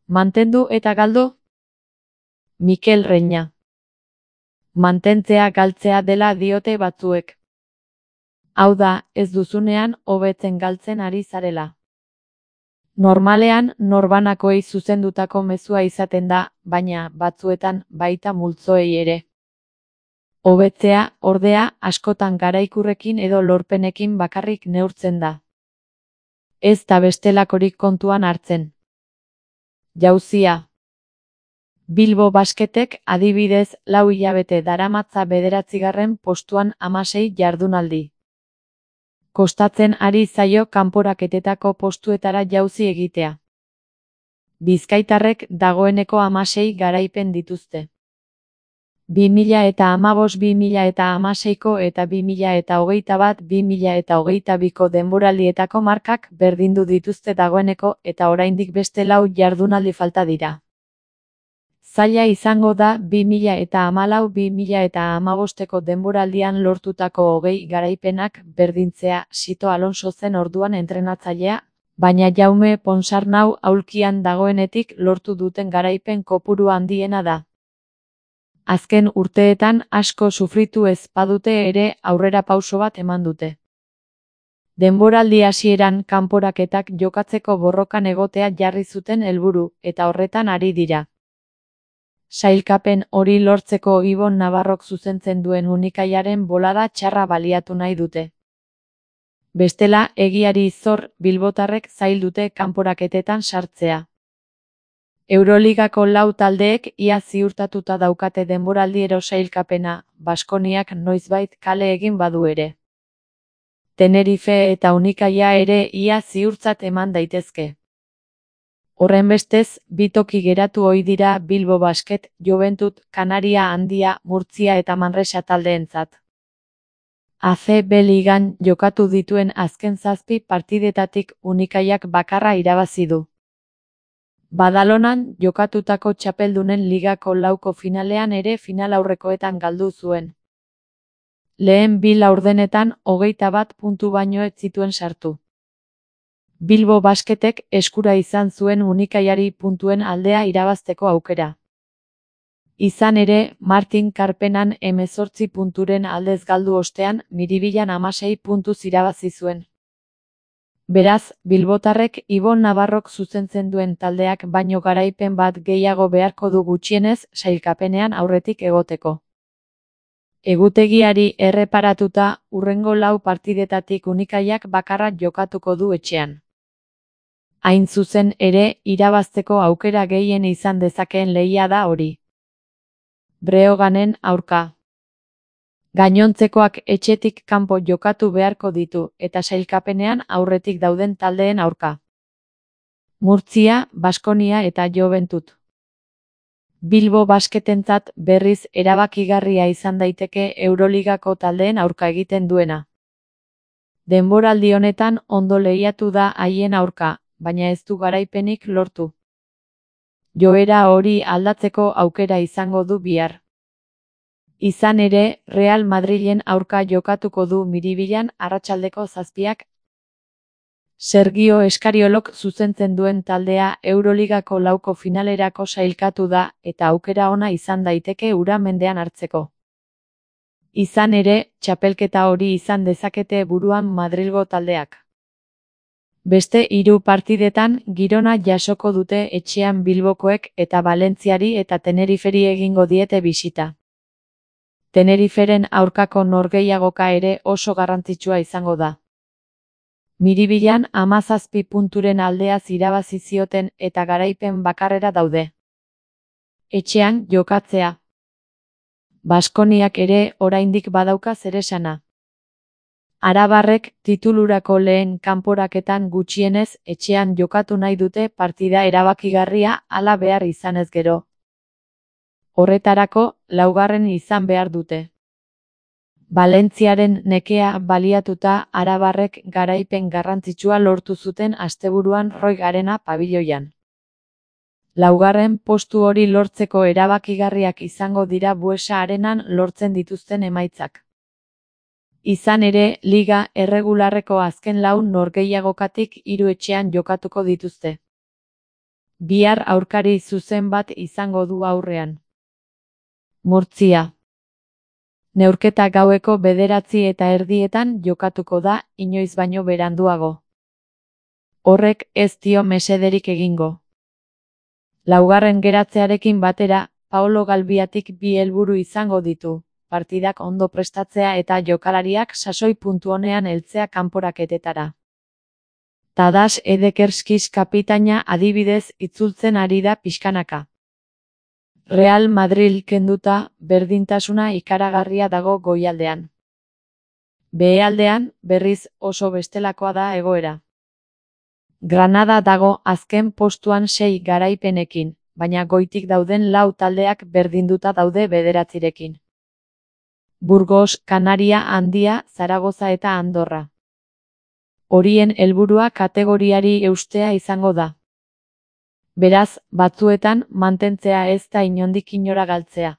Mantendu eta galdu? Mikel Reina. Mantentzea galtzea dela diote batzuek. Hau da, ez duzunean hobetzen galtzen ari zarela. Normalean, norbanakoei zuzendutako mezua izaten da, baina batzuetan baita multzoei ere. Hobetzea, ordea, askotan garaikurrekin edo lorpenekin bakarrik neurtzen da. Ez da bestelakorik kontuan hartzen. Jauzia. Bilbo Basketek adibidez 4 hilabete daramatza 9. postuan 16 jardunaldi. Kostatzen ari zaio kanporaketetako postuetara jauzi egitea. Bizkaitarrek dagoeneko 16 garaipen dituzte. 2015-2016ko eta 2021-2022ko denboraldietako markak berdindu dituzte dagoeneko eta oraindik beste 4 jardunaldi falta dira. Zaila izango da 2014-2015ko denboraldian lortutako 20 garaipenak berdintzea. Sito Alonso zen orduan entrenatzailea, baina Jaume Ponsarnau aulkian dagoenetik lortu duten garaipen kopuru handiena da. Azken urteetan asko sufritu ez badute ere aurrerapauso bat eman dute. Denboraldi hasieran kanporaketak jokatzeko borrokan egotea jarri zuten helburu, eta horretan ari dira. Sailkapen hori lortzeko Ibon Navarrok zuzentzen duen Unikaiaren bolada txarra baliatu nahi dute. Bestela, egiari zor, bilbotarrek zail dute kanporaketetan sartzea. Euroligako 4 taldeek ia ziurtatuta daukate denboraldiero sailkapena, Baskoniak noizbait kale egin badu ere. Tenerife eta Unikaia ere ia ziurtzat eman daitezke. Horrenbestez, 2 toki geratu ohi dira Bilbo Basket, Joventut, Kanaria Handia, Murtzia eta Manresa taldeentzat. ACB ligan jokatu dituen azken 7 partidetatik Unikaiak bakarra irabazi du. Badalonan jokatutako txapeldunen ligako 4ko finalean ere finalaurrekoetan galdu zuen. Lehen 2 laurdenetan 21 puntu baino ez zituen sartu. Bilbo Basketek eskura izan zuen Unikaiari puntuen aldea irabazteko aukera. Izan ere, Martin Karpenan 18 punturen aldez galdu ostean, Miribilan 16 puntuz irabazi zuen. Beraz, bilbotarrek Ibon Navarrok zuzentzen duen taldeak baino garaipen bat gehiago beharko du gutxienez sailkapenean aurretik egoteko. Egutegiari erreparatuta, hurrengo 4 partidetatik Unikaiak bakarra jokatuko du etxean. Hain zuzen ere, irabazteko aukera gehien izan dezakeen lehia da hori. Breoganen aurka. Gainontzekoak etxetik kanpo jokatu beharko ditu, eta sailkapenean aurretik dauden taldeen aurka. Murtzia, Baskonia eta Joventut. Bilbo Basketentzat berriz erabakigarria izan daiteke Euroligako taldeen aurka egiten duena. Denboraldi honetan ondo lehiatu da haien aurka, baina ez du garaipenik lortu. Joera hori aldatzeko aukera izango du bihar. Izan ere, Real Madrilen aurka jokatuko du Miribilan arratsaldeko 7ak. Sergio Eskariolok zuzentzen duen taldea Euroligako 4ko finalerako sailkatu da, eta aukera ona izan daiteke hura mendean hartzeko. Izan ere, txapelketa hori izan dezakete buruan Madrilgo taldeak. Beste 3 partidetan Girona jasoko dute etxean Bilbokoek eta Valentziari eta Teneriferi egingo diete bisita. Teneriferen aurkako norgehiagoka ere oso garrantzitsua izango da. Miribilan 17 punturen aldeaz irabazi zioten eta garaipen bakarrera daude. Etxean jokatzea. Baskoniak ere oraindik badauka zeresana. Arabarrek titulurako lehen kanporaketan gutxienez etxean jokatu nahi dute partida erabakigarria hala behar izanez gero. Horretarako, 4. izan behar dute. Valentziaren nekea baliatuta arabarrek garaipen garrantzitsua lortu zuten asteburuan Roig Arena pabiloian. 4. postu hori lortzeko erabakigarriak izango dira Buesa Arenan lortzen dituzten emaitzak. Izan ere, liga erregularreko azken 4 norgehiagokatik 3 etxean jokatuko dituzte. Bihar aurkari zuzen bat izango du aurrean. Murtzia. Neurketa gaueko 9:30 jokatuko da, inoiz baino beranduago. Horrek ez dio mesederik egingo. Laugarren geratzearekin batera, Paolo Galbiatik 2 helburu izango ditu, partidak ondo prestatzea eta jokalariak sasoi puntu onean heltzea kanporaketetara. Tadas Edekerskis kapitaina adibidez itzultzen ari da pixkanaka. Real Madrid kenduta, berdintasuna ikaragarria dago goialdean. Behealdean, berriz oso bestelakoa da egoera. Granada dago azken postuan 6 garaipenekin, baina goitik dauden 4 taldeak berdinduta daude 9. Burgos, Kanaria Handia, Zaragoza eta Andorra. Horien helburua kategoriari eustea izango da. Beraz, batzuetan mantentzea ez da inondik inora galtzea.